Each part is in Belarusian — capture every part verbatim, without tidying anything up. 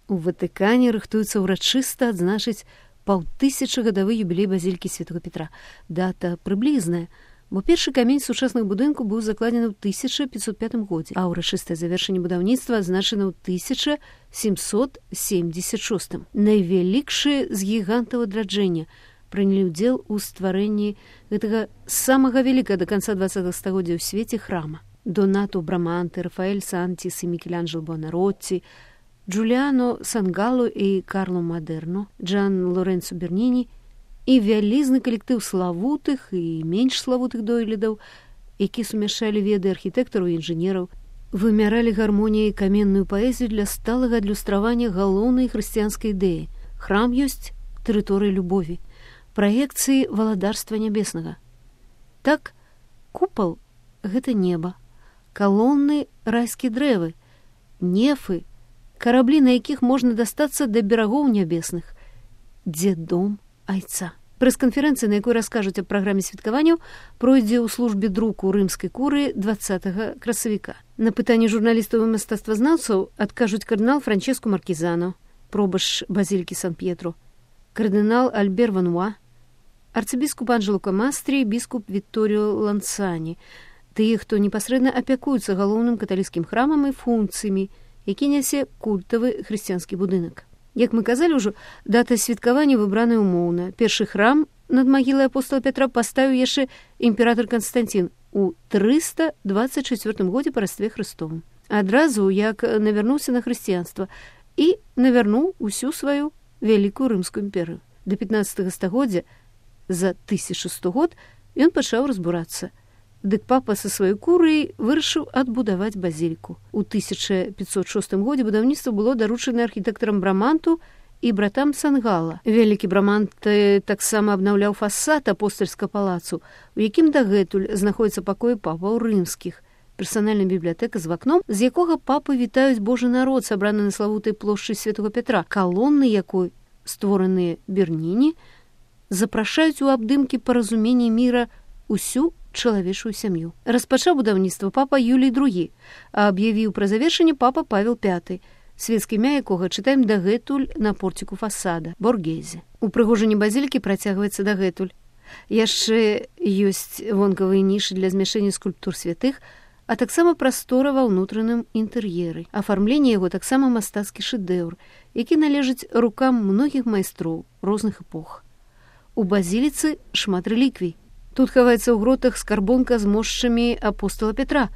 У Ватыкане рыхтуецца ўрачыста адзначыць паўтысячагадовы юбілей базілікі святого Петра. Дата прыблізная, бо першы камень сучасных будынку быў закладзены ў тысяча пятьсот пятым годзе, а ўрачыстае завяршэнне будаўніцтва адзначана ў тысяча сямсот семьдесят шостым. Найвялікшыя з гігантаў адраджэння прынялі ўдзел у стварэнні гэтага самага вялікага да канца дваццатага стагоддзя ў свеце храма. Донато Браманте, Рафаэль Сантіс і Мікеланджело Буонаротці, Джуліано Сангало і Карло Мадерно, Джан Лоренцо Берніні і вялізны калектыў славутых і менш славутых дойлідаў, які сумяшчалі веды архітэктараў і інжынераў, вымяралі гармоніяй каменную паэзію для сталага адлюстравання галоўнай хрысціянскай ідэі. Храм ёсць тэрыторыя любові, праекцыі валадарства нябеснага. Так, купал — гэта неба, калоны — райскія дрэвы, нефы — караблі, на якіх можна дастацца да берагоў нябесных, дзе дом айца. Прэс-канферэнцыя, на якой раскажуць аб праграме святкаванняў, пройдзе ў службе друку рымскай курыі дваццатага красавіка. На пытанне журналістаў і мастацтвазнаўцаў адкажуць кардынал Франческо Маркізано, пробаш базілікі Сан-П'етро, кардынал Альбер Вануа, арцыбіскуп Анджело Камастрі, біскуп Вітторіо Ланцані, тыя, хто непасрэдна апякуюцца галоўным каталіцкім храмам і функцыямі, які нясе культавы хрысціянскі будынак. Як мы казалі ўжо, дата святкавання выбраная умоўна. Першы храм над магілай апостола Петра паставіў яшчэ імператор Канстантін у трыста дваццаць чацвёртым годзе па Растве Хрыстовым. Адразу, як навярнуўся на хрысціянства і навярнуў усю сваю вялікую рымскую імперыю. Да пятнаццатага стагоддзя, за тысячу сто год, ён пачаў разбурацца. Дык папа са сваёй курыяй вырашыў адбудаваць базіліку. У тысяча пятьсот шостым годзе будаўніцтва было даручана архітэктарам Браманту і братам Сангала. Вялікі Брамант таксама абнаўляў фасад апостальскага палацу, у якім дагэтуль знаходзіцца пакоі папаў рымскіх. Персанальная бібліятэка з вакном, з якога папы вітаюць Божы народ, сабраны на славутай плошчы святого Петра, калоны якой, створаныя Берніні, запрашаюць у абдымкі паразумення міра усю чалавечую сям'ю. Распачаў будаўніцтва папа Юлій другі, а аб'явіў пра завершэнне папа Павел пяты, свецкае імя якога чытаем дагэтуль на порціку фасада — Боргезе. Упрыгожанне базілікі працягваецца дагэтуль. Яшчэ ёсць вонкавыя нішы для змяшэння скульптур святых, а таксама прастора ва ўнутраным інтэр'еры. Афармленне яго таксама мастацкі шэдэўр, які належыць рукам многіх майстроў розных эпох. У базіліцы шмат рэліквій. Тут хаваецца ў гротах скарбонка з мошчамі апостола Петра.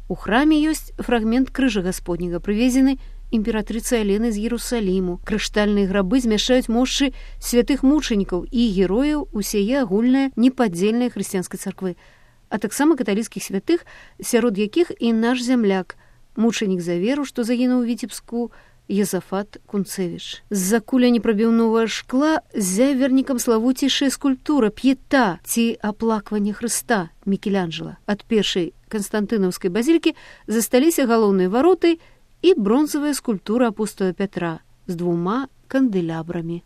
У храме ёсць фрагмент крыжа гасподняга, прывезены імператрыцай Аленай з Ерусаліму. Крыштальныя грабы змяшчаюць мошчы святых мучанікаў і герояў усяе агульнае непадзельнай хрысціянскай царквы, а таксама каталіцкіх святых, сярод якіх і наш зямляк, мучанік за веру, што загінуў у Віцебску, Езафат Кунцевіч. З-за куля непрабіўнога шкла ззяе вернікам славуцейшая скульптура П'ета ці аплакванне Хрыста Мікеланджела. Ад першай канстантынаўскай базілікі засталіся галоўныя вароты і бронзавая скульптура апостола Пятра з двума кандэлябрамі.